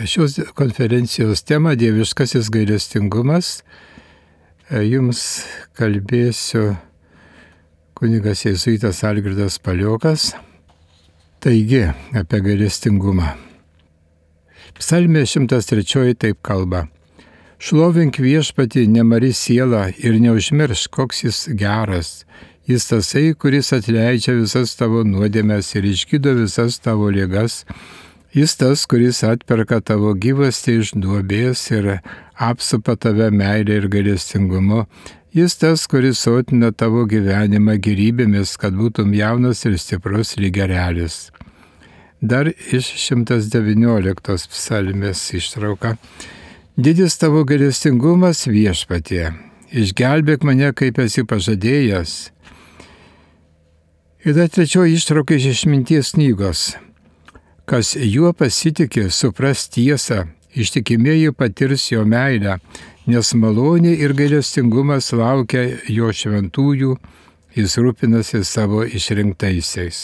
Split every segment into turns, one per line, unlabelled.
Šios konferencijos tema dieviškasis gailestingumas. Jums kalbėsiu kunigas jėzuitas Algirdas Paliokas. Taigi, apie gailestingumą. Psalmė 103 taip kalba. Šlovink viešpatį nemari siela ir neužmiršk, koks jis geras. Jis tasai, kuris atleidžia visas tavo nuodėmes ir išgydo visas tavo ligas. Jis tas, kuris atperka tavo gyvastį iš duobės ir apsupa tave meilę ir gailestingumu. Jis tas, kuris sotina tavo gyvenimą gėrybėmis, kad būtum jaunas ir stiprus lyg erelis. Dar iš 119 psalmės ištrauka. Didis tavo gailestingumas viešpatie, išgelbėk mane, kaip esi pažadėjęs. Ir dar trečioji ištrauka iš Išminties knygos. Kas juo pasitikė, supras tiesą, ištikimieji patirs jo meilę, nes malonė ir gailestingumas laukia jo šventųjų, jis rūpinasi savo išrinktaisiais.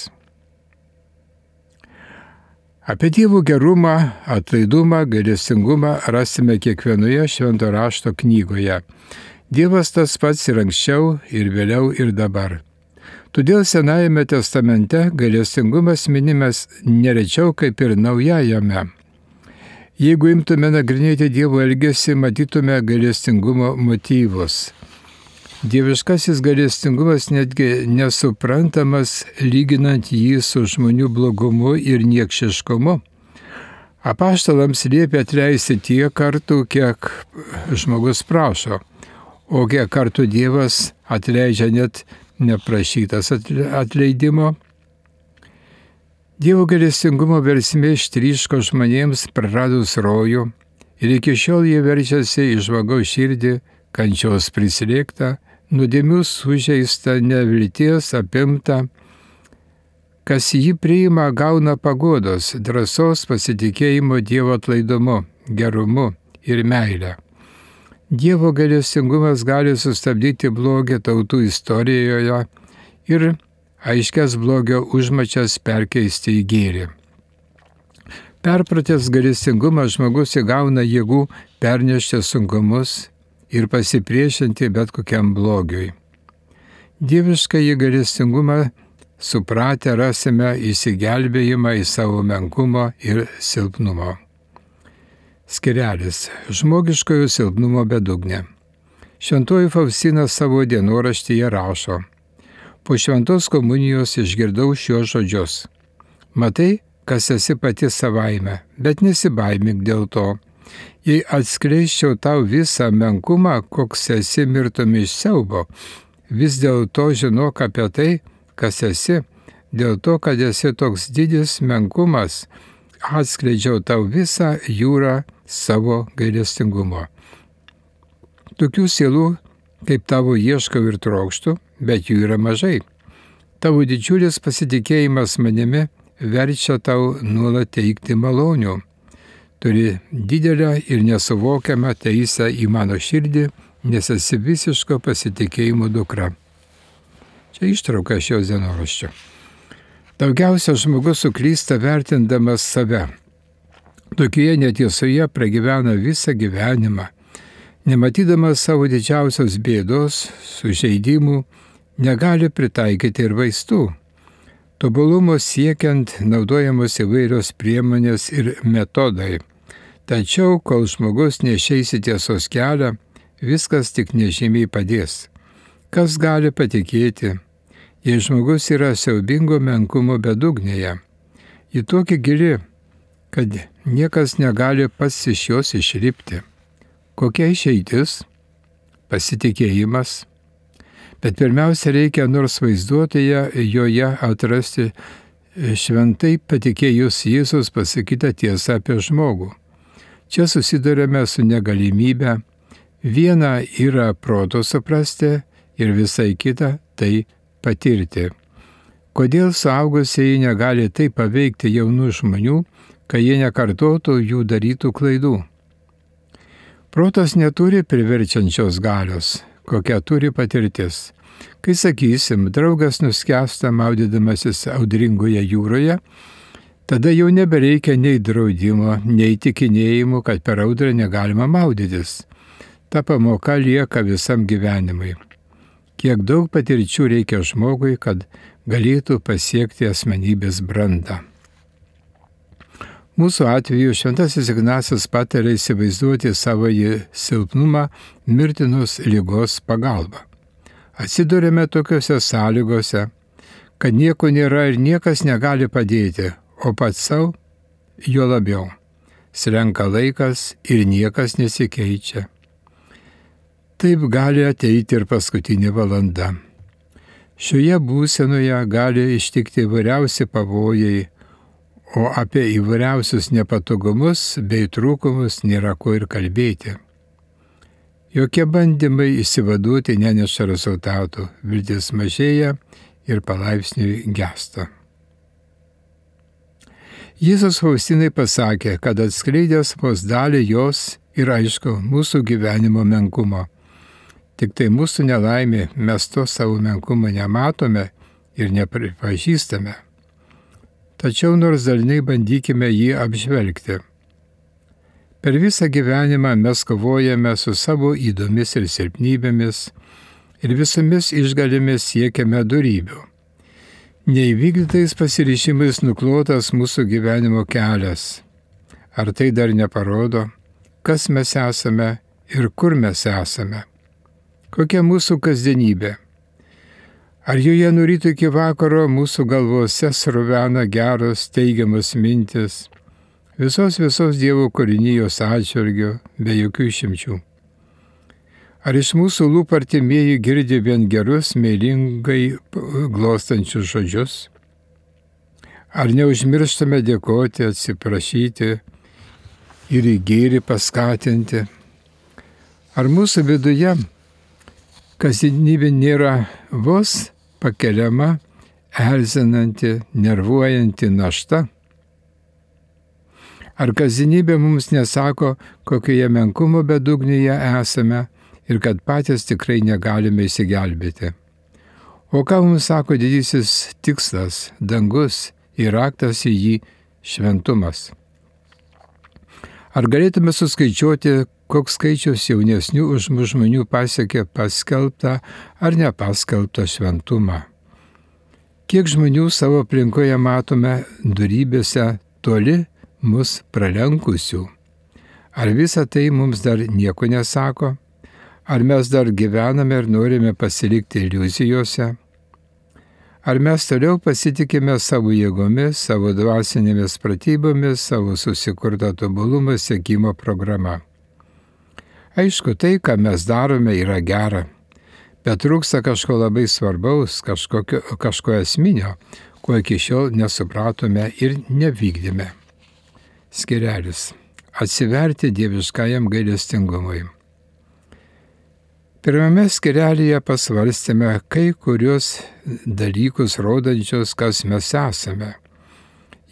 Apie Dievo gerumą, atlaidumą, gailestingumą rasime kiekvienoje švento rašto knygoje. Dievas tas pats ir anksčiau, ir vėliau, ir dabar. Todėl Senajame testamente gailestingumas minimas nerečiau kaip ir Naujajame. Jeigu imtume nagrinėti Dievo elgesį, matytume gailestingumo motyvus. Dieviškasis gailestingumas netgi nesuprantamas lyginant jį su žmonių blogumu ir niekšiškumu. Apaštalams liepia atleisti tiek kartų, kiek žmogus prašo, o kiek kartų Dievas atleidžia net neprašytas atleidimo. Dievo gailestingumo versmė ištryško žmonėms praradus rojų ir iki šiol jie verčiasi į žmogaus širdį, kančios prislėgtą, nuodėmių sužeistą, nevilties apimtą. Kas jį priima, gauna paguodos, drąsos, pasitikėjimo Dievo atlaidumu, gerumu ir meilę. Dievo gailestingumas gali sustabdyti blogį tautų istorijoje ir aiškias blogio užmačias perkeisti į gėrį. Perpratęs gailestingumą žmogus įgauna jėgų pernešti sunkumus ir pasipriešinti bet kokiam blogiui. Dieviškąjį gailestingumą supratę rasime įsigelbėjimą į savo menkumo ir silpnumo. Skirelis – žmogiškojo silpnumo bedugnė. Šventoji Faustina savo dienoraštyje rašo. Po šventos komunijos išgirdau šios žodžius. Matai, kas esi pati savaime, bet nesibaimink dėl to. Jei atskleisčiau tau visą menkumą, koks esi, mirtum iš siaubo, vis dėlto žinok apie tai, kas esi, dėl to, kad esi toks didis menkumas, atskleidžiau tau visą jūrą savo gailestingumo. Tokių sielų, kaip tavo ieškau ir trokštu, bet jų yra mažai. Tavo didžiulis pasitikėjimas manimi verčia tau nuolat teikti malonių. Turi didelę ir nesuvokiamą teisę į mano širdį, nes esi visiško pasitikėjimo dukra. Čia ištrauka šios dienoraščio. Daugiausia žmogus suklysta vertindamas save. Tokioje netiesoje pragyvena visą gyvenimą, nematydamas savo didžiausios bėdos, sužeidimų, negali pritaikyti ir vaistų. Tobulumo siekiant naudojamos įvairios priemonės ir metodai. Tačiau, kol žmogus neišeis į tiesos kelią, viskas tik nežymiai padės. Kas gali patikėti, jei žmogus yra siaubingo menkumo bedugnėje? Ji tokia gili, kad niekas negali pats iš jos išlipti. Kokia išeitis? Pasitikėjimas. Bet pirmiausia reikia nors vaizduotėje joje atrasti šventai patikėjus Jėzus pasakytą tiesą apie žmogų. Čia susidurėme su negalimybė. Viena yra proto suprasti ir visai kita tai patirti. Kodėl suaugusieji negali taip paveikti jaunų žmonių, kai jie nekartotų jų darytų klaidų? Protas neturi priverčiančios galios, kokią turi patirtis. Kai sakysim, draugas nuskęsta maudydamasis audringoje jūroje, Tada jau nebereikia nei draudimo, nei įtikinėjimų, kad per audrą negalima maudytis. Ta pamoka lieka visam gyvenimui. Kiek daug patirčių reikia žmogui, kad galėtų pasiekti asmenybės brandą. Mūsų atveju šventasis Ignacas patarė įsivaizduoti savo silpnumą mirtinos ligos pagalba. Atsidurėme tokiuose sąlygose, kad nieko nėra ir niekas negali padėti, o pats savo jo labiau. Slenka laikas ir niekas nesikeičia. Taip gali ateiti ir paskutinė valanda. Šioje būsenoje gali ištikti įvairiausi pavojai, o apie įvairiausius nepatogumus bei trūkumus nėra ko ir kalbėti. Jokie bandymai išsivaduoti neneša rezultatų, viltis mažėja ir palaipsniui gęsta. Jėzus Faustinai pasakė, kad atskleidęs vos dalį jos ir aišku mūsų gyvenimo menkumo. Tik tai mūsų nelaimė, mes to savo menkumo nematome ir nepripažįstame. Tačiau nors dažnai bandykime jį apžvelgti. Per visą gyvenimą mes kovojame su savo ydomis ir silpnybėmis ir visomis išgalėmis siekiame dorybių. Neįvykdytais pasiryžimais nuklotas mūsų gyvenimo kelias. Ar tai dar neparodo, kas mes esame ir kur mes esame? Kokia mūsų kasdienybė? Ar joje nuo ryto iki vakaro mūsų galvose sruvena geros, teigiamas mintis, visos Dievo kūrinijos atžvilgiu, be jokių išimčių? Ar iš mūsų lūpų artimieji girdi vien gerus, meilingai glostančius žodžius? Ar neužmirštame dėkoti, atsiprašyti ir į gėrį paskatinti? Ar mūsų viduje kasdienybė nėra vos pakeliama, erzinanti, nervuojanti našta? Ar kasdienybė mums nesako, kokioje menkumo bedugnėje esame ir kad patys tikrai negalime išsigelbėti? O ką mums sako didysis tikslas, dangus ir raktas į jį šventumas? Ar galėtume suskaičiuoti, koks skaičius jaunesnių už mus žmonių pasiekė paskelbtą ar nepaskelbtą šventumą? Kiek žmonių savo aplinkoje matome dorybėse toli mus pralenkusių? Ar visa tai mums dar nieko nesako? Ar mes dar gyvename ir norime pasilikti iliuzijose? Ar mes toliau pasitikime savo jėgomis, savo dvasinėmis pratybomis, savo susikurtą tobulumą siekimo programa? Aišku, tai, ką mes darome, yra gera, bet trūksta kažko labai svarbaus, kažko esminio, ko iki šiol nesupratome ir nevykdėme. Skirelis. Atsiverti dieviškajam gailestingumui. Pirmame skirelyje pasvarstėme kai kurios dalykus rodančius, kas mes esame.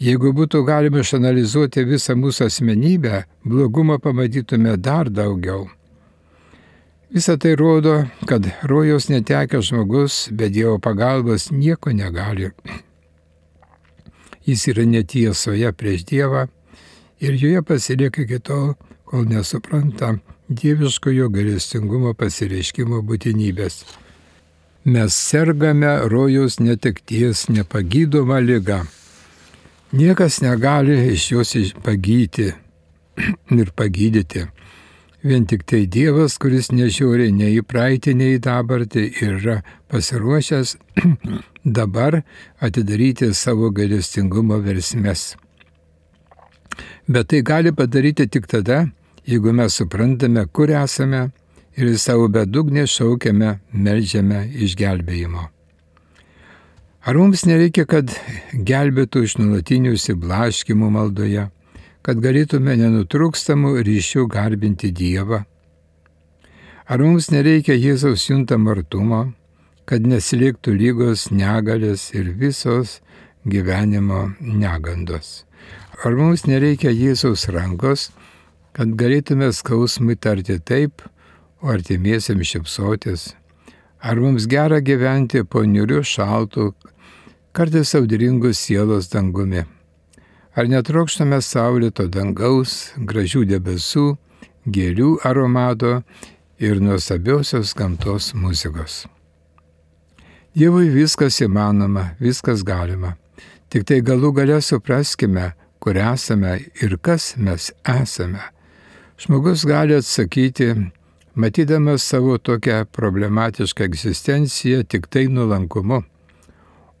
Jeigu būtų galima išanalizuoti visą mūsų asmenybę, blogumo pamatytume dar daugiau. Visa tai rodo, kad rojaus netekęs žmogus be Dievo pagalbos nieko negali. Jis yra netiesoje prieš Dievą ir joje pasilieka iki tol, kol nesupranta dieviškojo gailestingumo pasireiškimo būtinybės. Mes sergame rojaus netekties nepagydoma liga. Niekas negali iš jos pagyti ir pagydyti. Vien tik tai Dievas, kuris nežiūri nei į praeitį, nei į dabartį ir yra pasiruošęs dabar atidaryti savo gailestingumo versmes. Bet tai gali padaryti tik tada, jeigu mes suprantame, kur esame ir į savo bedugnę šaukiame, meldžiame išgelbėjimo. Ar mums nereikia, kad gelbėtų iš nuolatinių išsiblaškimų maldoje, kad galėtume nenutrūkstamų ryšių garbinti Dievą? Ar mums nereikia Jėzaus juntamo artumo, kad neslėgtų lygos, negalės ir visos gyvenimo negandos? Ar mums nereikia Jėzaus rankos, kad galėtume skausmui tarti taip, o artimiesiems šypsotis? Ar mums gera gyventi po niūriu šaltu, kartais audringų sielos dangumi? Ar netrokštame saulėto dangaus, gražių debesų, gėlių aromato ir nuostabiosios gamtos muzikos? Dievui viskas įmanoma, viskas galima. Tik tai galų gale supraskime, kur esame ir kas mes esame. Žmogus gali atsakyti, matydamas savo tokią problematišką egzistenciją tik tai nuolankumu.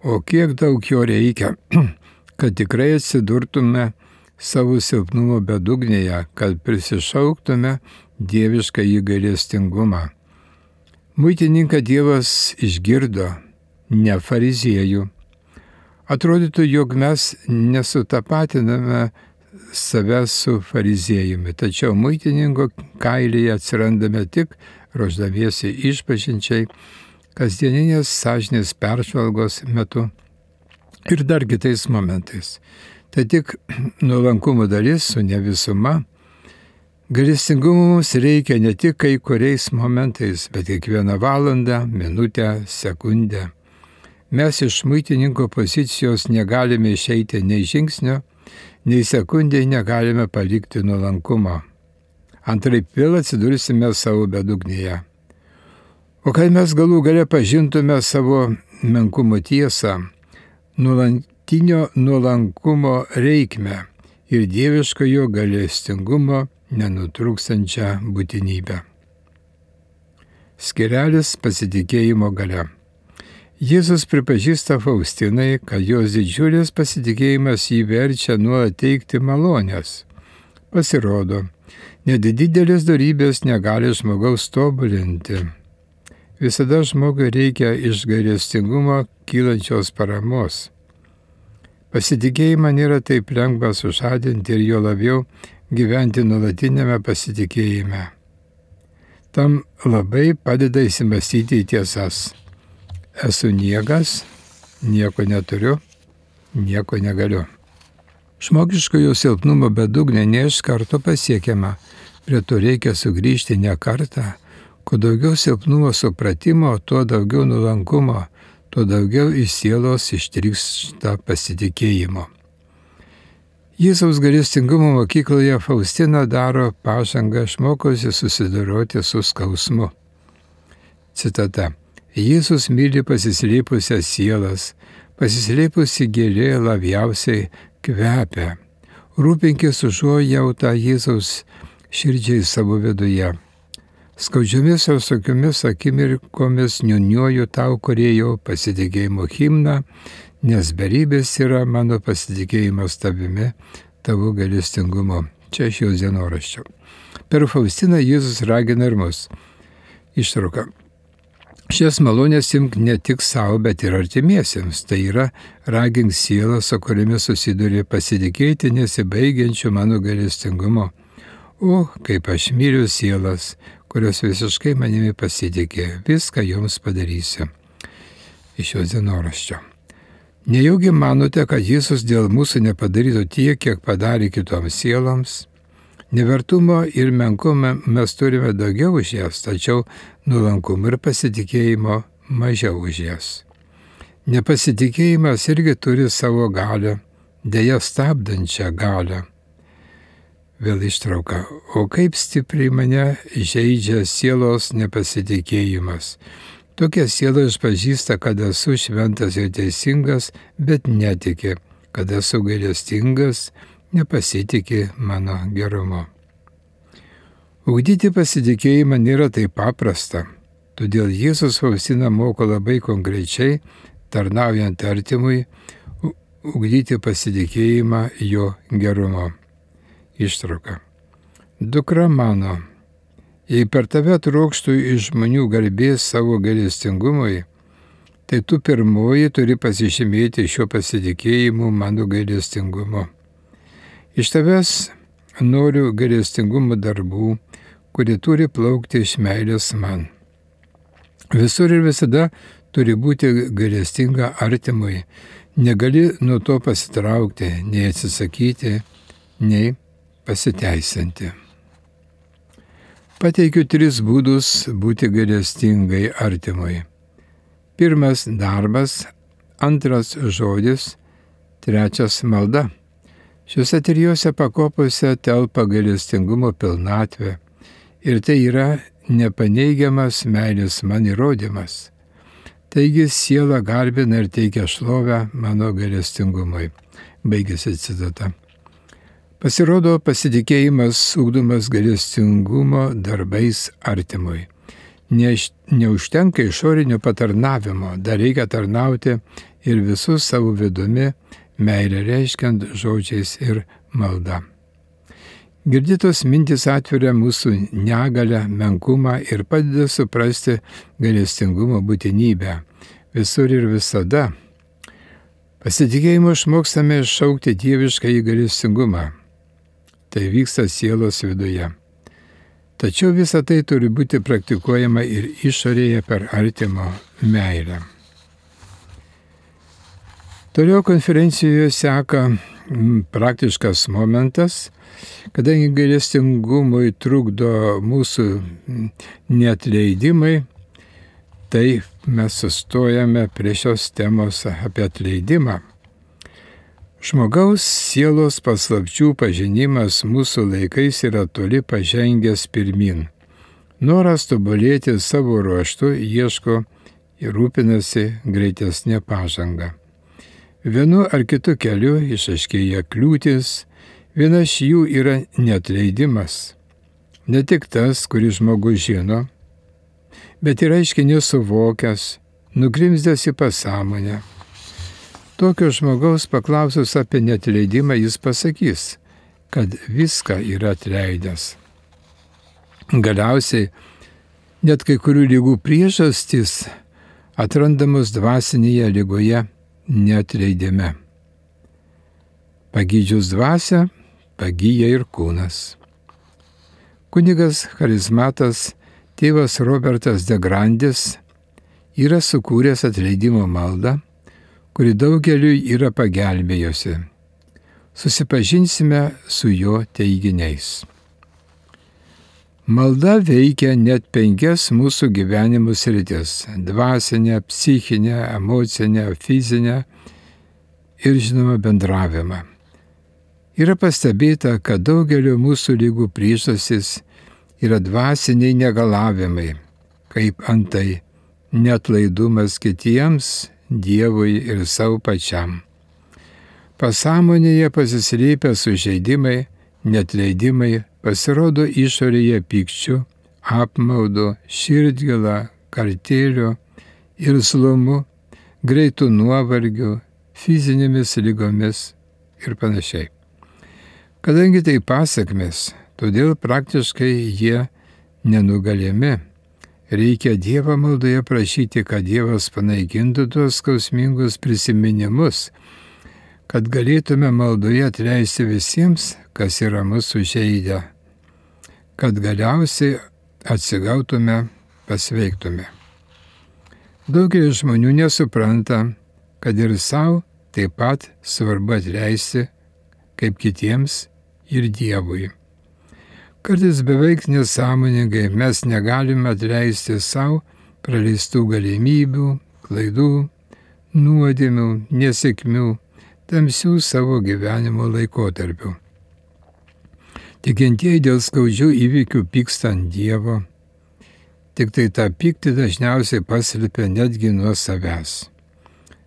O kiek daug jo reikia, kad tikrai atsidurtume savo silpnumo bedugnėje, kad prisišauktume dievišką įgailestingumą. Muitininką Dievas išgirdo, ne fariziejų. Atrodytų, jog mes nesutapatiname save su fariziejumi, tačiau muitininko kailyje atsirandame tik ruošdamiesi išpažinčiai, kasdieninės sąžinės peržvalgos metu ir dar kitais momentais. Tai tik nuolankumo dalis, o ne visuma. Gailestingumo mums reikia ne tik kai kuriais momentais, bet kiekvieną valandą, minutę, sekundę. Mes iš muitininko pozicijos negalime išeiti nei žingsnio, nei sekundėje negalime palikti nuolankumo. Antraip vėl atsidursime savo bedugnėje. O kai mes galų gale pažintume savo menkumo tiesą, nuolantinio nuolankumo reikmę ir dieviškojo gailestingumo nenutrūkstančią būtinybę. Skirelis pasitikėjimo galia. Jėzus pripažįsta Faustinai, kad jos didžiulis pasitikėjimas jį verčia nuolat teikti malonės. Pasirodo, net didelės dorybės negali žmogaus tobulinti. Visada žmogui reikia iš gailestingumo kylančios paramos. Pasitikėjimą nėra taip lengva sužadinti ir jo labiau gyventi nuolatinėme pasitikėjime. Tam labai padeda įsimastyti į tiesas. Esu niekas, nieko neturiu, nieko negaliu. Žmogiškojo silpnumo bedugnė ne iš karto pasiekiama, prie to reikia sugrįžti ne kartą. Kuo daugiau silpnumo supratimo, tuo daugiau nuolankumo, tuo daugiau iš sielos ištrykšta pasitikėjimo. Jėzaus gailestingumo mokykloje Faustina daro pažangą, išmokosi susidoroti su skausmu. Citata. Jėzus myli pasislėpusias sielas, pasislėpusi gėlė labiausiai kvepia. Rūpinkis užuojautą Jėzaus širdžiai savo viduje. Skaudžiomis ir sukiomis akimirkomis niūniuoju tau, Kūrėjau, pasitikėjimo himną, nes beribės yra mano pasitikėjimas tavimi, tavo gailestingumo. Čia iš jos dienoraščio. Per Faustiną Jėzus ragina ir mus. Ištrauka. Šias malonės imk ne tik savo, bet ir artimiesiems. Tai yra, ragink sielą, su kuriamis susiduri, pasitikėti nesibaigiančiu mano gailestingumu. O, kaip aš myliu sielas, kurios visiškai manimi pasitikė, viską joms padarysiu. Iš jos dienoraščio. Nejaugi manote, kad Jėzus dėl mūsų nepadarytų tiek, kiek padarė kitoms sieloms? Nevertumo ir menkumo mes turime daugiau už jas, tačiau nuolankumo ir pasitikėjimo mažiau už jas. Nepasitikėjimas irgi turi savo galią, deja stabdančią galią. Vėl ištrauka. O kaip stipriai mane žeidžia sielos nepasitikėjimas. Tokia siela išpažįsta, kad esu šventas ir teisingas, bet netiki, kad esu gailestingas, nepasitikė mano gerumu. Ugdyti pasitikėjimą nėra taip paprasta, todėl Jėzus Faustiną moko labai konkrečiai, tarnaujant artimui, ugdyti pasitikėjimą jo gerumu. Ištrauka. Dukra mano, jei per tave trokštų iš žmonių garbės savo gailestingumui, tai tu pirmoji turi pasižymėti šio pasitikėjimu mano gailestingumu. Iš tavęs noriu gailestingumo darbų, kurie turi plaukti iš meilės man. Visur ir visada turi būti gailestinga artimui. Negali nuo to pasitraukti, nei atsisakyti, nei pasiteisinti. Pateikiu 3 būdus būti gailestingai artimui. 1 darbas, 2 žodis, 3 malda. Šiuose trijose pakopose telpa gailestingumo pilnatvė ir tai yra nepaneigiamas meilės man įrodymas. Taigi siela garbina ir teikia šlovę mano gailestingumui. Baigėsi citata. Pasirodo, pasitikėjimas ugdomas gailestingumo darbais artimui. Neužtenka išorinio patarnavimo, dar reikia tarnauti ir visų savo vidumi, meilę reiškiant žodžiais ir malda. Girdytos mintis atveria mūsų negalę, menkumą ir padeda suprasti gailestingumo būtinybę visur ir visada. Pasitikėjimu išmokstame šaukti dievišką į gailestingumą. Tai vyksta sielos viduje. Tačiau visa tai turi būti praktikuojama ir išorėje per artimo meilę. Toliau konferencijoje seka praktiškas momentas, kadangi gailestingumui trukdo mūsų neatleidimai, tai mes sustojame prie šios temos apie atleidimą. Žmogaus sielos paslapčių pažinimas mūsų laikais yra toli pažengęs pirmin. Noras tobulėti savo ruožtu ieško ir rūpinasi greitesnė pažanga. Vienu ar kitu keliu išaiškėja kliūtis, viena iš jų yra neatleidimas. Ne tik tas, kurį žmogus žino, bet ir aiškiai nesuvokęs, nugrimzdęs į pasąmonę. Tokio žmogaus paklausus apie neatleidimą jis pasakys, kad viską yra atleidęs. Galiausiai net kai kurių ligų priežastys atrandamos dvasinėje ligoje neatleidime. Pagydžius dvasią, pagyja ir kūnas. Kunigas charizmatas tėvas Robertas de Grandis yra sukūręs atleidimo maldą, kuri daugeliui yra pagelbėjusi. Susipažinsime su jo teiginiais. Malda veikia net 5 mūsų gyvenimo sritis – dvasinę, psichinę, emocinę, fizinę ir, žinoma, bendravimą. Yra pastebėta, kad daugelio mūsų ligų priežastys yra dvasiniai negalavimai, kaip antai neatlaidumas kitiems, Dievui ir savo pačiam. Pasąmonėje pasislėpę sužeidimai, neatleidimai pasirodo išorėje pykčiu, apmaudu, širdgėla, kartėliu, irzlumu, greitų nuovargiu, fizinėmis lygomis ir panašiai. Kadangi tai pasakmės, todėl praktiškai jie nenugalimi. Reikia Dievo maldoje prašyti, kad Dievas panaikintų tuos skausmingus prisiminimus, kad galėtume maldoje atleisti visiems, kas yra mūsų žeidę, kad galiausiai atsigautume, pasveiktume. Daugelis žmonių nesupranta, kad ir savo taip pat svarbu atleisti, kaip kitiems ir Dievui. Kartais beveik nesąmoningai mes negalime atleisti savo praleistų galimybių, klaidų, nuodėmių, nesėkmių, tamsių savo gyvenimo laikotarpių. Tikintieji dėl skaudžių įvykių pyksta ant Dievo, tik tai tą pyktį dažniausiai paslėpia netgi nuo savęs.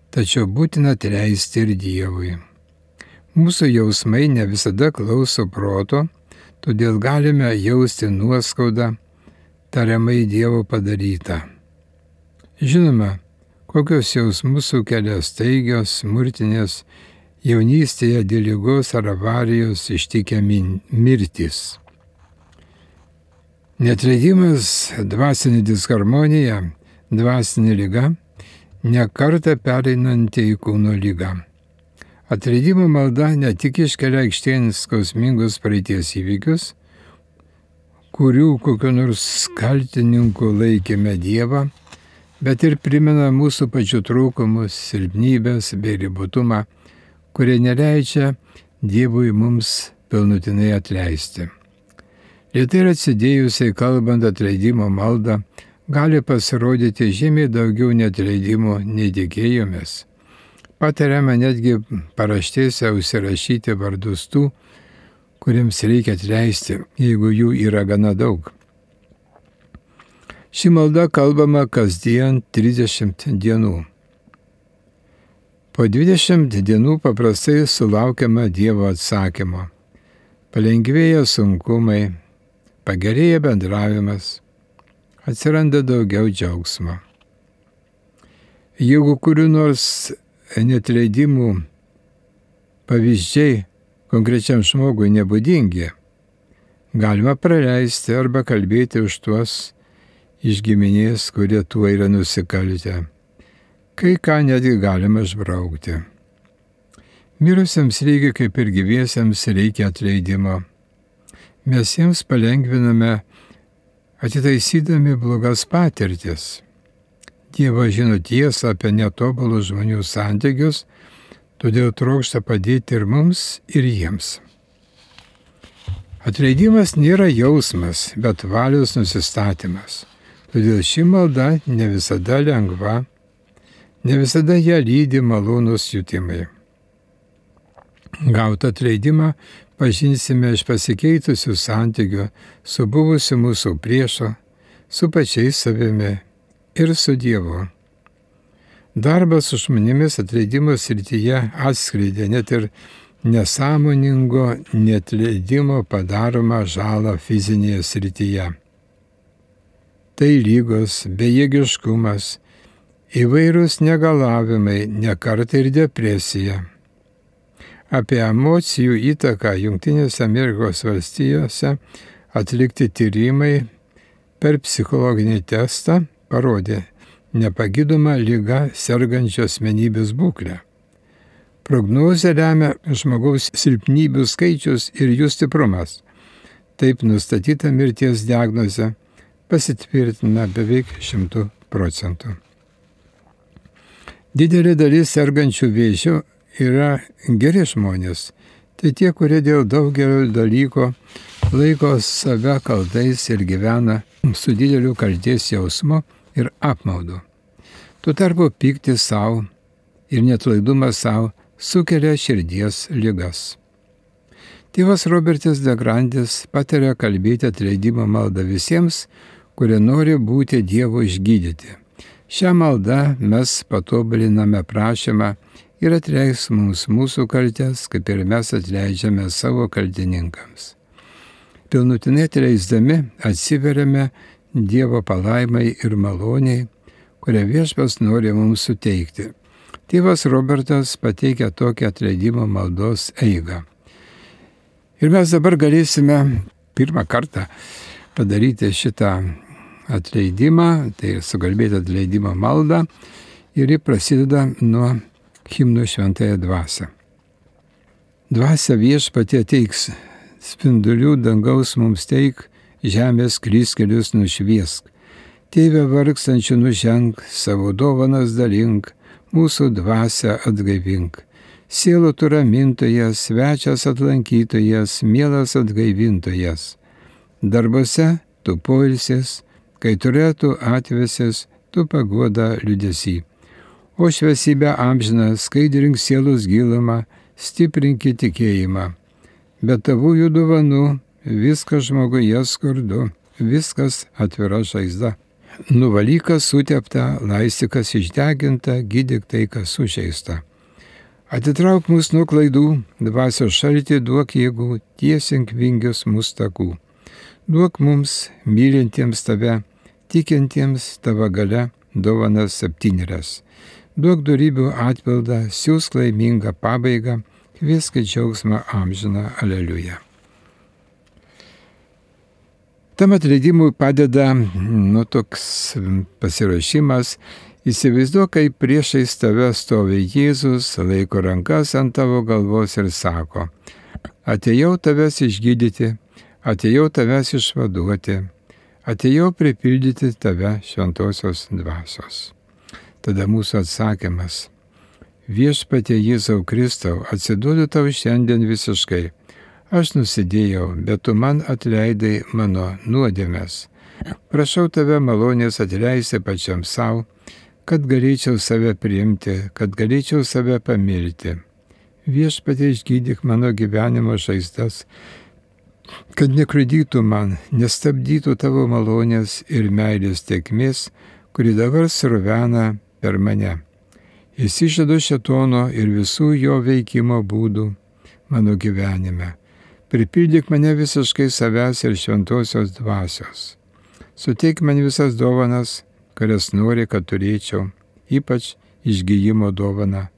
Tačiau būtina atleisti ir Dievui. Mūsų jausmai ne visada klauso proto, todėl galime jausti nuoskaudą tariamai Dievo padarytą. Žinoma, kokios jausmus sukelia staigios, smurtinės, jaunystėje dėl ligos ar avarijos ištikę mirtys. Neatleidimas, dvasinė disharmonija, dvasinė liga, ne kartą pereinanti į kūno ligą. Atleidimo malda ne tik iškelia aikštėn skausmingus praeities įvykius, kurių kokiu nors kaltininku laikėme Dievą, bet ir primena mūsų pačių trūkumus, silpnybės bei ribotumą, kurie neleidžia Dievui mums pilnutinai atleisti. Lėtai ir atsidėjusiai kalbant atleidimo maldą, gali pasirodyti žymiai daugiau neatleidimo nei tikėjomės. Patariama netgi paraštėse užsirašyti vardus tų, kuriems reikia atleisti, jeigu jų yra gana daug. Ši malda kalbama kasdien 30 dienų. Po 20 dienų paprastai sulaukiama Dievo atsakymo. Palengvėja sunkumai, pagerėja bendravimas, atsiranda daugiau džiaugsmo. Jeigu kurių nors neatleidimų pavyzdžiai konkrečiam žmogui nebūdingi, galima praleisti arba kalbėti už tuos iš giminės, kurie tuo yra nusikaltę. Kai ką netgi galima išbraukti. Mirusiems reikia kaip ir gyviesiems reikia atleidimo. Mes jiems palengviname atitaisydami blogas patirtis. Dievas žino tiesą apie netobulus žmonių santykius, todėl trokšta padėti ir mums, ir jiems. Atleidimas nėra jausmas, bet valios nusistatymas. Todėl ši malda ne visada lengva, ne visada ją lydi malonūs jutimai. Gautą atleidimą pažinsime iš pasikeitusių santykių su buvusiu mūsų priešu, su pačiais savimi ir su Dievu. Darbas su žmonėmis atleidimo srityje atskleidė net ir nesąmoningo neatleidimo padaromą žalą fizinėje srityje. Tai lygos, bejėgiškumas, įvairūs negalavimai, nekartai ir depresija. Apie emocijų įtaką Jungtinėse Amerikos valstijose atlikti tyrimai per psichologinį testą parodė nepagydomą ligą sergančio asmenybės būklę. Prognozę lemia žmogaus silpnybių skaičius ir jų stiprumas. Taip nustatyta mirties diagnozė pasitvirtina beveik 100%. Didelė dalis sergančių vėžių yra geri žmonės. Tai tie, kurie dėl daugelio dalykų laiko save kaltais ir gyvena su dideliu kaltės jausmu ir apmaudu. Tuo tarpu pyktis savo ir neatlaidumas savo sukelia širdies ligas. Tėvas Robertas de Grandis pataria kalbėti atleidimo maldą visiems, kurie nori būti Dievo išgydyti. Šią maldą mes patobuliname prašymą ir atleis mums mūsų kaltes, kaip ir mes atleidžiame savo kaltininkams. Pilnutinai atleisdami atsiveriame Dievo palaimai ir maloniai, kurią Viešpats nori mums suteikti. Tėvas Robertas pateikia tokią atleidimo maldos eigą. Ir mes dabar galėsime pirmą kartą padaryti šitą atleidimą, tai sukalbėti atleidimo maldą, ir ji prasideda nuo himno Šventąją dvasią. Dvasia Viešpatie teiks, spindulių dangaus mums teik, žemės kryskelius nušviesk. Tėve vargstančių nuženk, savo dovanas dalink, mūsų dvasią atgaivink. Sielų tu ramintojas, svečias atlankytojas, mielas atgaivintojas. Darbose tu poilsis, kai turėtų atvesės, tu paguoda liūdesį. O šviesybę amžiną skaidrink sielos gilumą, stiprinkį tikėjimą. Be tavųjų dovanų viskas žmoguje skurdu, viskas atvira žaizda. Nuvalykas sutepta, laistykas išdeginta, gydyk tai, kas sužeista. Atitrauk mus nuo klaidų, dvasios šaltį duok jėgų, tiesink vingius mūsų takų. Duok mums, mylintiems tave, tikintiems tavo gale, dovanas 7. Duok dorybių atpildą, siūsk laimingą pabaigą, kviesk džiaugsmą amžiną, aleliuja. Tam atleidimui padeda toks pasiruošimas. Įsivaizduok, kaip priešais tave stovi Jėzus, laiko rankas ant tavo galvos ir sako: atėjau tavęs išgydyti, atėjau tavęs išvaduoti, atėjau pripildyti tave šventosios dvasios. Tada mūsų atsakymas: Viešpatie Jėzau Kristau, atsiduodu tau šiandien visiškai. Aš nusidėjau, bet tu man atleidai mano nuodėmes. Prašau tave malonės atleisti pačiam savo, kad galėčiau save priimti, kad galėčiau save pamilti. Viešpatie, išgydyk mano gyvenimo žaizdas, kad nekliudytų man, nestabdytų tavo malonės ir meilės tėkmės, kuri dabar sruvena per mane. Išsižadu šėtono ir visų jo veikimo būdų mano gyvenime. Pripildyk mane visiškai savęs ir šventosios dvasios. Suteik man visas dovanas, kurias nori, kad turėčiau, ypač išgyjimo dovaną.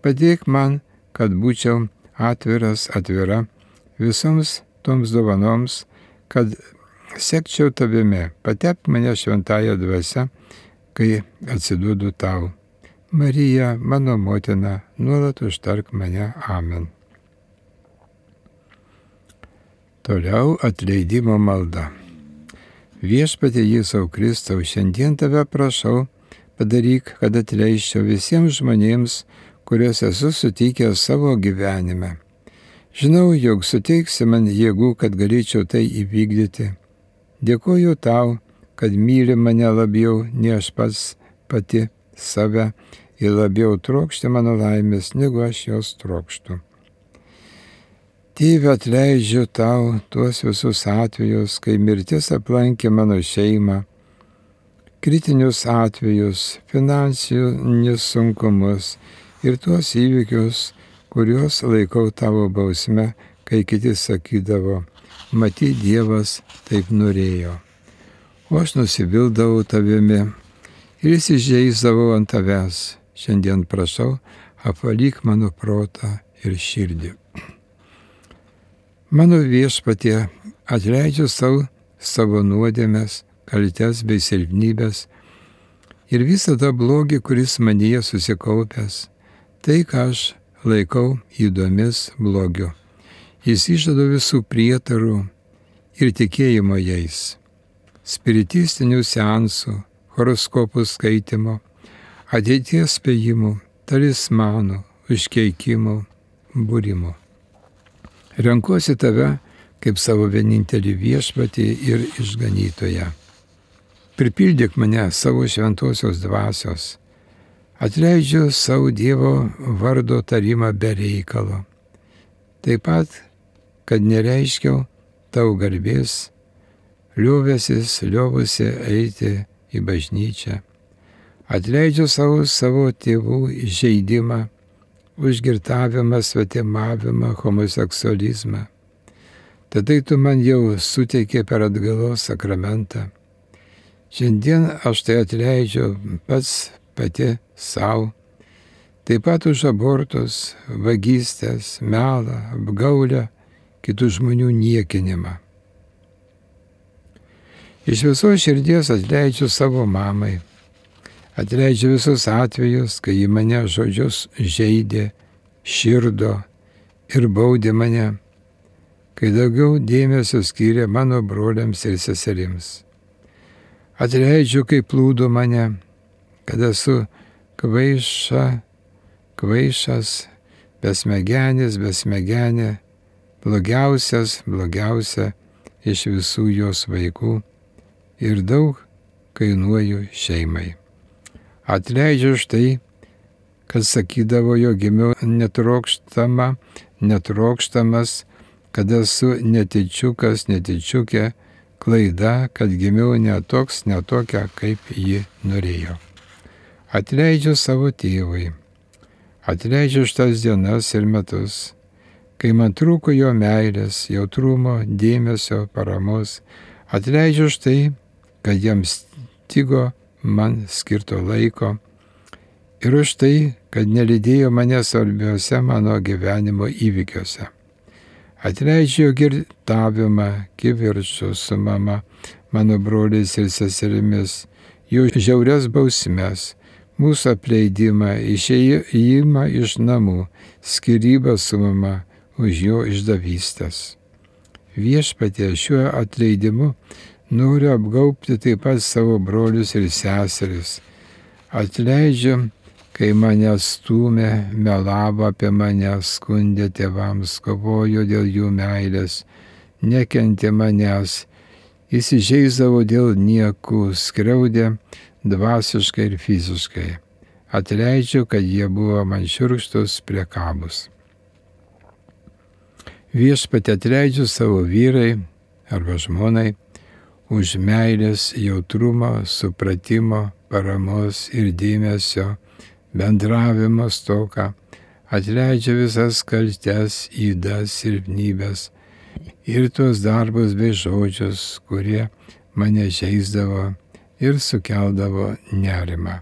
Padėk man, kad būčiau atviras, atvira visoms toms dovanoms, kad sekčiau tavimi. Patepk mane šventąją dvasią, kai atsiduodu tau. Marija, mano motina, nuolat užtark mane. Amen. Toliau atleidimo malda. Viešpatie Jėzau Kristau, šiandien tave prašau, padaryk, kad atleisčiau visiems žmonėms, kuriuos esu sutikęs savo gyvenime. Žinau, jog suteiksi man jėgų, kad galėčiau tai įvykdyti. Dėkoju tau, kad myli mane labiau, nei aš pats pati save ir labiau trokšti mano laimės, negu aš jos trokštu. Tėve, atleidžiu tau tuos visus atvejus, kai mirtis aplankė mano šeimą, kritinius atvejus, finansinius sunkumus ir tuos įvykius, kuriuos laikau tavo bausme, kai kiti sakydavo, matyt, Dievas taip norėjo. O aš nusivildavau tavimi ir įsižeisdavau ant tavęs. Šiandien prašau, apvalyk mano protą ir širdį. Mano Viešpatie, atleidžiu savo nuodėmes, kaltes bei silpnybes ir visą tą blogį, kuris manyje susikaupęs, tai, ką aš laikau įdomis blogiu. Jis išžada visų prietarų ir tikėjimo jais, spiritistinių seansų, horoskopų skaitimo, ateities spėjimų, talismanų, užkeikimų, būrimų. Renkuosi tave kaip savo vienintelį viešpatį ir išganytoją. Pripildyk mane savo šventosios dvasios. Atleidžiu savo Dievo vardo tarimą be reikalo. Taip pat, kad nereiškiau tau garbės, liovusi eiti į bažnyčią. Atleidžiu savo tėvų įžeidimą, užgirtavimą, svetimavimą, homoseksualizmą. Tada tu man jau suteikė per atgailos sakramentą. Šiandien aš tai atleidžiu pati savo. Taip pat už abortus, vagystes, melą, apgaulę, kitų žmonių niekinimą. Iš visos širdies atleidžiu savo mamai. Atleidžiu visus atvejus, kai ji mane žodžius žeidė, širdo ir baudė mane, kai daugiau dėmesio skyrė mano broliams ir seserims. Atleidžiu, kai plūdo mane, kad esu kvaišas, besmegenė, blogiausia iš visų jos vaikų ir daug kainuoju šeimai. Atleidžiu už tai, kad sakydavo, jog gimiau netrokštamas, kad esu netičiukė, klaida, kad gimiau netokia, kaip ji norėjo. Atleidžiu savo tėvui. Atleidžiu už tas dienas ir metus, kai man trūko jo meilės, jautrumo, dėmesio, paramos. Atleidžiu už tai, kad jiems stigo man skirto laiko ir už tai, kad nelydėjo mane svarbiuose mano gyvenimo įvykiuose. Atleidžiu girtavimą, kivirčus su mama, mano broliais ir seserimis, jų žiaurias bausmes, mūsų apleidimą, išėjimą iš namų, skyrybą su mama už jo išdavystės. Viešpatie, šiuo atleidimu noriu apgaubti taip pat savo brolius ir seseris. Atleidžiu, kai mane stūmė, melavo apie mane, skundė tėvams, kovojo dėl jų meilės, nekentė manęs įsižeisdavo dėl niekų, skriaudė dvasiškai ir fiziškai. Atleidžiu, kad jie buvo man šiurkštus, priekabūs. Viešpatie, atleidžiu savo vyrai arba žmonai už meilės, jautrumo, supratimo, paramos ir dėmesio, bendravimo stoką. Atleidžiu visas kaltes, ydas, silpnybes ir tuos darbus bei žodžius, kurie mane žeisdavo ir sukeldavo nerimą.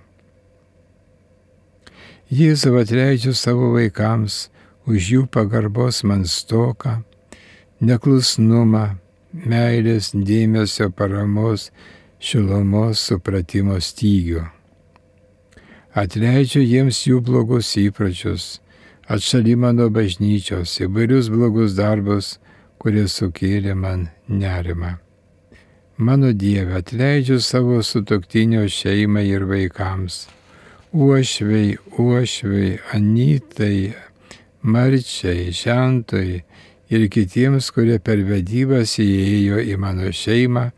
Jėzau, atleidžiu savo vaikams už jų pagarbos man stoką, neklusnumą, meilės, dėmesio, paramos, šilumos, supratimo stygių. Atleidžiu jiems jų blogus įpročius, atšalimą nuo bažnyčios, įvairius blogus darbus, kurie sukėlė man nerimą. Mano Dieve, atleidžiu savo sutuoktinio šeimai ir vaikams, Uošvei, Anytai, Marčiai, Žentui ir kitiems, kurie per vedybas įėjo į mano šeimą,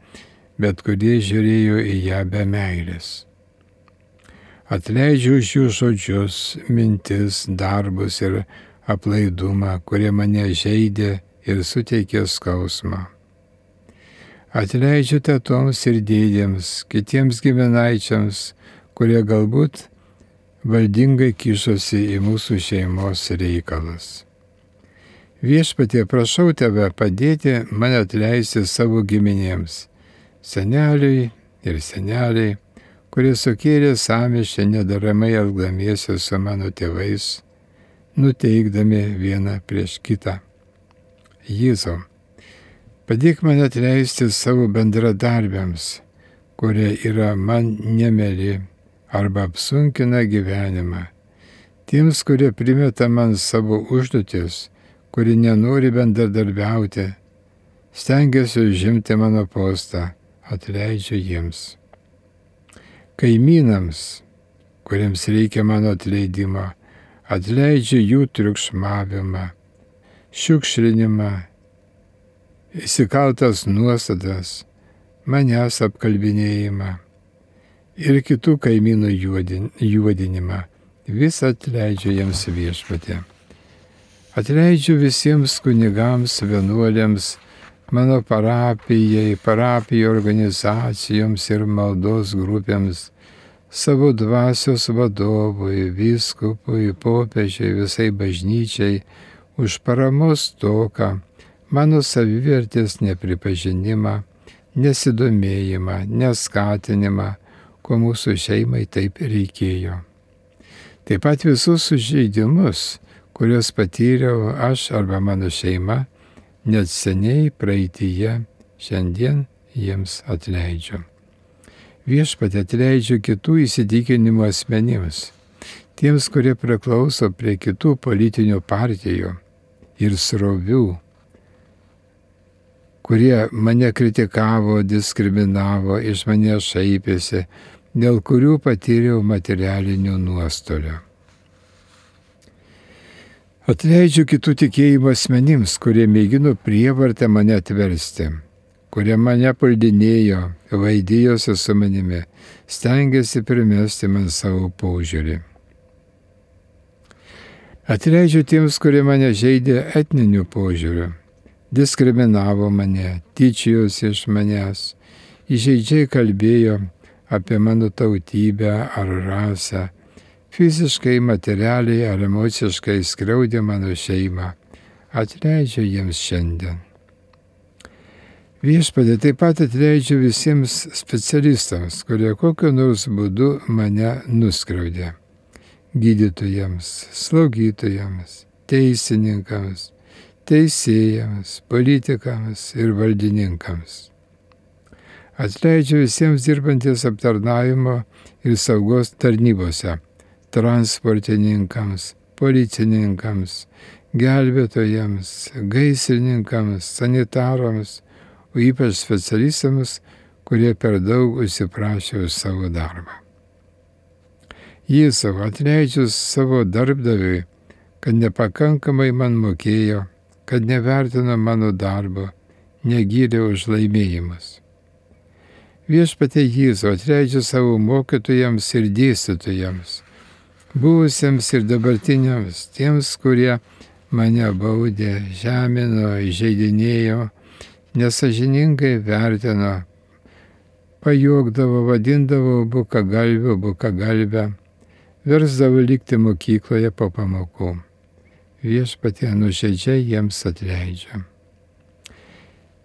bet kurie žiūrėjo į ją be meilės. Atleidžiu už jų žodžius, mintis, darbus ir aplaidumą, kurie mane žeidė ir suteikė skausmą. Atleidžiu tetoms ir dėdėms, kitiems giminaičiams, kurie galbūt valdingai kišosi į mūsų šeimos reikalus. Viešpatie, prašau Tave padėti man atleisti savo giminėms, seneliui ir seneliai, kurie sukėlė sąmyšį nedaramai elgdamiesi su mano tėvais, nuteikdami vieną prieš kitą. Jėzau, padėk man atleisti savo bendradarbiams, kurie yra man nemeli arba apsunkina gyvenimą, tiems, kurie primeta man savo užduotis, kurie nenori bendradarbiauti, stengiasi užimti mano postą, atleidžiu jiems. Kaimynams, kuriems reikia mano atleidimo, atleidžiu jų triukšmavimą, šiukšlinimą, įsikaltas nuostatas, manęs apkalbinėjimą ir kitų kaimynų juodinimą. Vis atleidžiu jiems Viešpatie. Atleidžiu visiems kunigams, vienuoliams, mano parapijų organizacijoms ir maldos grupėms, savo dvasios vadovui, vyskupui, popiežiui, visai bažnyčiai, už paramos stoką, mano savivertės nepripažinimą, nesidomėjimą, neskatinimą, ko mūsų šeimai taip reikėjo. Taip pat visus sužeidimus, kuriuos patyriau aš arba mano šeima, net seniai praeityje, šiandien jiems atleidžiu. Viešpatie, atleidžiu kitų įsitikinimų asmenims, tiems, kurie priklauso prie kitų politinių partijų ir srovių, kurie mane kritikavo, diskriminavo, iš manęs šaipėsi, dėl kurių patyriau materialinių nuostolių. Atleidžiu kitų tikėjimo asmenims, kurie mėgino prievartę mane atversti, kurie mane puldinėjo, vaidėjosi su manimi, stengiasi primesti man savo požiūrį. Atleidžiu tiems, kurie mane žeidė etniniu požiūriu, diskriminavo mane, tyčiojosi iš manęs, įžeidžiai kalbėjo apie mano tautybę ar rasę, fiziškai, materialiai ar emociškai skriaudė mano šeimą. Atleidžiu jiems šiandien. Viešpatie, taip pat atleidžiu visiems specialistams, kurie kokiu nors būdu mane nuskriaudė. Gydytojams, slaugytojams, teisininkams, teisėjams, politikams ir valdininkams. Atleidžiu visiems dirbantys aptarnavimo ir saugos tarnybose, transportininkams, policininkams, gelbėtojams, gaisrininkams, sanitarams, o ypač specialistams, kurie per daug užsiprašė už savo darbą. Jėzau, atleidžiu savo darbdaviui, kad nepakankamai man mokėjo, kad nevertino mano darbo, negyrė už laimėjimus. Viešpatie Jėzau, atleidžiu savo mokytojams ir dėstytojams, buvusiems ir dabartiniams, tiems, kurie mane baudė, žemino, įžeidinėjo, nesažiningai vertino, pajokdavo, vadindavo bukagalbę, versdavo likti mokykloje po pamokų. Viešpatie nuoširdžiai jiems atleidžiu.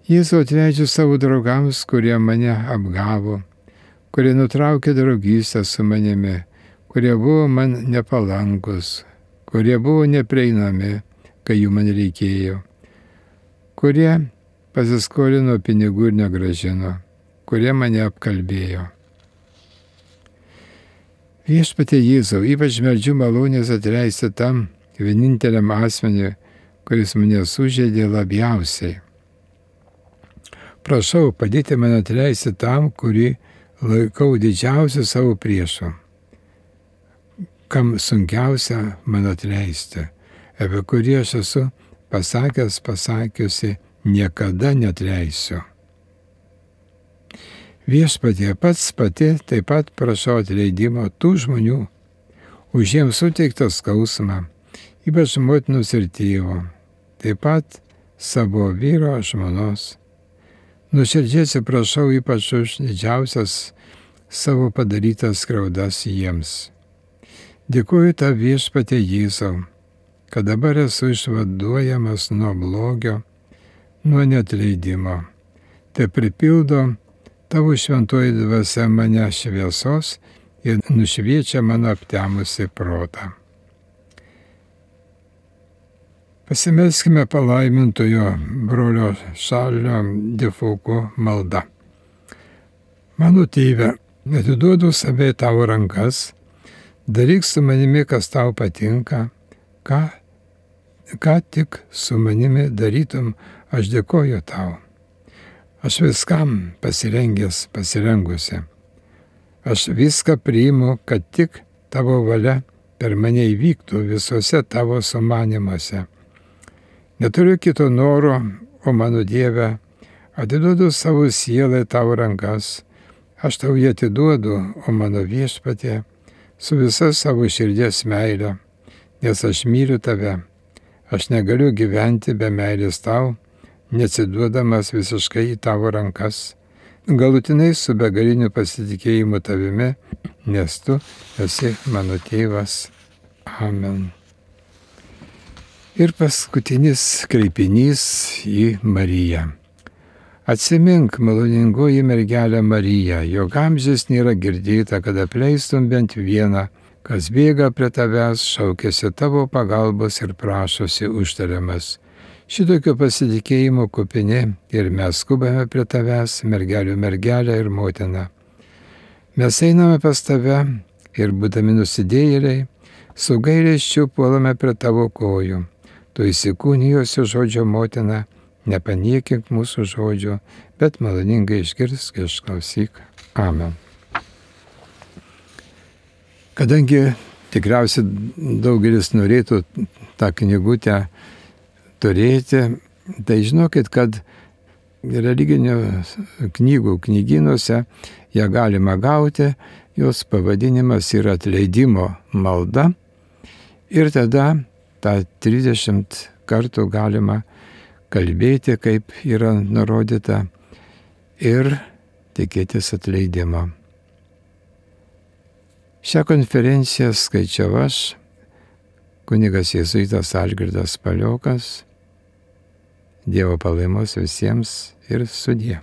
Jėzau, atleidžiu savo draugams, kurie mane apgavo, kurie nutraukė draugystę su manimi, kurie buvo man nepalankus, kurie buvo neprieinami, kai jų man reikėjo, kurie pasiskolino pinigų ir negrąžino, kurie mane apkalbėjo. Viešpatie Jėzau, ypač meldžiu malonės atleisti tam vieninteliam asmeniui, kuris mane sužeidė labiausiai. Prašau, padėti man atleisti tam, kurį laikau didžiausiu savo priešu, kam sunkiausia man atleisti, apie kurį aš esu pasakiusi, niekada neatleisiu. Viešpatie, pati taip pat prašau atleidimo tų žmonių, už jiems suteiktą skausmą, ypač motinos ir tėvo, taip pat savo vyro žmonos. Nuoširdžiai atsiprašau ypač už didžiausias savo padarytas skriaudas jiems. Dėkuoju tau, Viešpatie Jėzau, kad dabar esu išvaduojamas nuo blogio, nuo neatleidimo. Te pripildo tavo šventoji dvasia mane šviesos ir nušviečia mano aptemusi protą. Pasimelskime palaimintojo brolio Šarlio de Foucault malda. Mano tėve, atiduodu save į tavo rankas, daryk su manimi, kas tau patinka, ką tik su manimi darytum, aš dėkoju tau. Aš viskam pasirengusi. Aš viską priimu, kad tik tavo valia per mane įvyktų visuose tavo sumanymuose. Neturiu kito noro, o mano Dieve, atiduodu savo sielą į tavo rankas. Aš tau jį atiduodu, o mano Viešpatie, su visa savo širdies meile, nes aš myliu tave. Aš negaliu gyventi be meilės tau, neatsiduodamas visiškai į tavo rankas, galutinai su begaliniu pasitikėjimu tavimi, nes tu esi mano tėvas. Amen. Ir paskutinis kreipinys į Mariją. Atsimink, maloningoji mergelė Marija, jog amžius nėra girdėta, kad apleistum bent vieną, kas bėga prie tavęs, šaukėsi tavo pagalbos ir prašosi užtariamas. Šitokio pasitikėjimo kupini ir mes skubame prie tavęs, mergelių mergelė ir motina. Mes einame pas tave ir būdami nusidėjėliai, su gailesčiu puolame prie tavo kojų. Tu įsikūnijusi žodžio motina, nepaniekink mūsų žodžio, bet maloningai išgirsk, išklausyk. Amen. Kadangi tikriausiai daugelis norėtų tą knygutę turėti, tai žinokit, kad religinių knygų knygynuose ją galima gauti, jos pavadinimas yra atleidimo malda ir tada tą 30 kartų galima kalbėti, kaip yra nurodyta, ir tikėtis atleidimo. Šią konferenciją skaičiau aš, kunigas jėzuitas Algirdas Paliokas. Dievo palaimos visiems ir sudie.